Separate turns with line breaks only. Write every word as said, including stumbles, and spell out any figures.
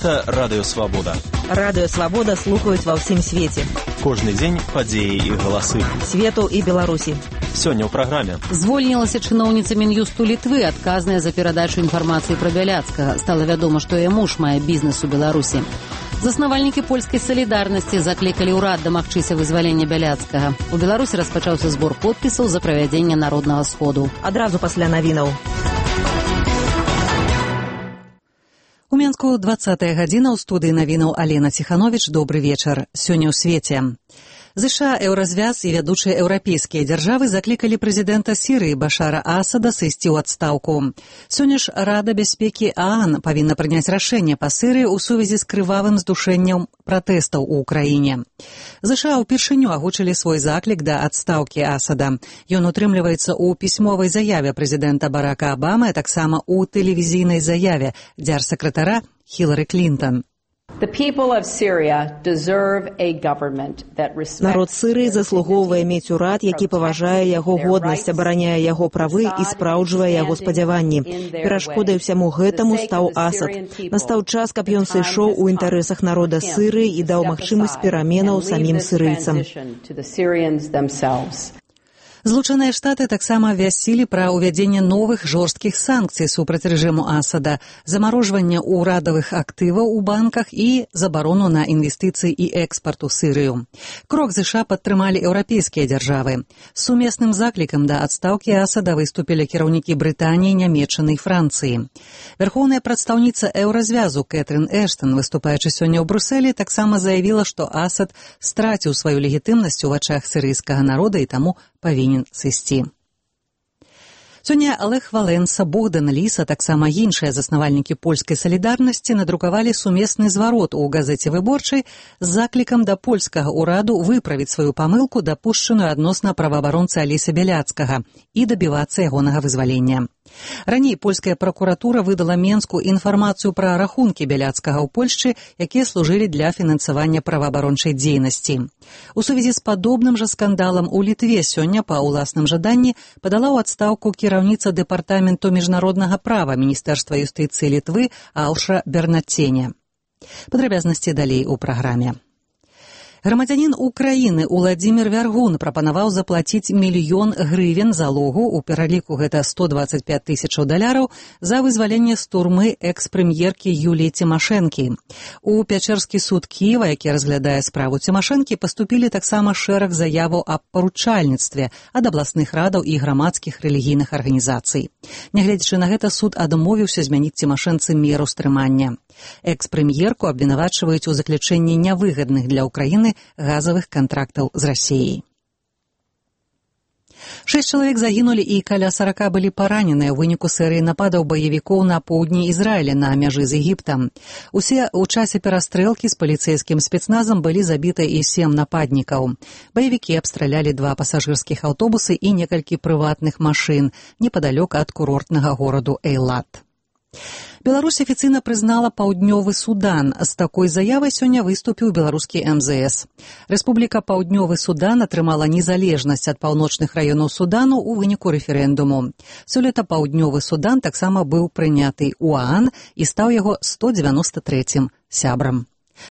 Гэта Радыё Свабода.
Радыё Свабода слухаюць ва ўсім свеце.
Кожны дзень падзеі і галасы.
Свету і Беларусі.
Сёння ў праграме.
Звольнілася чыноўніца Мін'юсту Літвы, адказная за перадачу інфармацыі пра Бяляцкага. Стала вядома, што яе муж мае бізнес у Беларусі. Заснавальнікі польскай салідарнасці заклікалі ўрад дамагчыся вызвалення Бяляцкага. У Беларусі распачаўся збор подпісаў за правядзенне народнага сходу.
Адразу пасля навінаў.
У Менску дваццатая гадзіна, ў студыі навінаў Алена Ціхановіч. Добры вечар. Сёння ў свеце. ЗША, Еўразвяз і вядучыя еўрапейскія дзяржавы заклікалі прэзідэнта Сірыі Башара Асада сысці ў адстаўку. Сёння ж Рада бяспекі ААН павінна прыняць рашэнне па Сірыі ў сувязі з крывавым здушэннем пратэстаў у ўкраіне. ЗША ўпершыню агучылі свой заклік да адстаўкі Асада. Ён утрымліваецца ў пісьмовай заяве прэзідэнта Барака Абамы, а таксама ў тэлевізійнай заяве дзяржсакратара Хілары Клінтон.
Народ Сірыі заслугоўвае мець урад, які паважае яго годнасць, абараняе яго правы і спраўджвае яго спадзяванні. Перашкодай усяму гэтаму стаў Асад. Настаў час, каб ён сышоў у інтарэсах народа Сірыі і даў магчымасць пераменаў самім сірыйцам.
Злучаныя Штаты таксама абвясцілі пра ўвядзенне новых жорсткіх санкцый супраць рэжыму Асада, замарожванне ўрадавых актываў у банках і забарону на інвестыцыі і экспарт у Сірыю. Крок ЗША падтрымалі еўрапейскія дзяржавы. З сумесным заклікам да адстаўкі Асада выступілі кіраўнікі Брытаніі, Нямецчыны і Францыі. Вярхоўная прадстаўніца Еўразвязу Кэтрын Эштон, выступаючы сёння ў Брусэлі, таксама заявіла, што Асад страціў сваю легітымнасць у вачах сірыйскага народа і таму павінен сысці. Сёння Олег Валенса, Богдан Ліс, а таксама іншыя заснавальнікі польскай салідарнасці надрукавалі сумесны зварот у газеце «Выборчай» з заклікам да польскага ўраду выправіць сваю памылку, дапушчаную адносна праваабаронцы Алеся Бяляцкага, і дабівацца ягонага вызвалення. Раней польская пракуратура выдала Менску інфармацыю пра рахункі Бяляцкага ў Польшчы, якія служылі для фінансавання праваабарончай дзейнасці. У сувязі з падобным жа скандалам у Літве сёння па ўласным жаданні падала ў адстаўку кіраўніца дэпартаменту міжнароднага права Міністэрства юстыцыі Літвы Ауша Бернацене. Падрабязнасці далей у праграме. Грамадзянін Украіны Уладзімір Вяргун прапанаваў заплаціць мільён грывен залогу, у пераліку гэта сто дваццаць пяць тысячаў даляраў, за вызваленне з турмы экс-прэм'еркі Юліі Цімашэнкі. У Пячэрскі суд Кіева, які разглядае справу Цімашэнкі, паступілі таксама шэраг заяваў аб паручальніцтве ад абласных радаў і грамадскіх рэлігійных арганізацый. Нягледзячы на гэта, суд адмовіўся змяніць Цімашэнцы меру стрымання. Экс-прэм'ерку абвінавачваюць у заключэнні нявыгадных для Украіны газавых кантрактаў з Расіяй. Шэсць чалавек загінулі і каля сарака былі параненыя ў выніку серыі нападаў баевікоў на поўдні Ізраіля на мяжы з Егіптам. Усе ў часе перастрэлкі з паліцэйскім спецназам былі забіты і сем нападнікаў. Баевікі абстралялі два пасажырскіх аўтобусы і некалькі прыватных машын непадалёк ад курортнага гораду Эйлат. Беларусь афіцыйна прызнала Паўднёвы Судан. З такой заявай сёння выступіў беларускі эм зэ эс. Рэспубліка Паўднёвы Судан атрымала незалежнасць ад паўночных раёнаў Судану ў выніку рэферэндуму. Сёлета Паўднёвы Судан таксама быў прыняты ў ААН і стаў яго сто дзевяноста трэцім сябрам.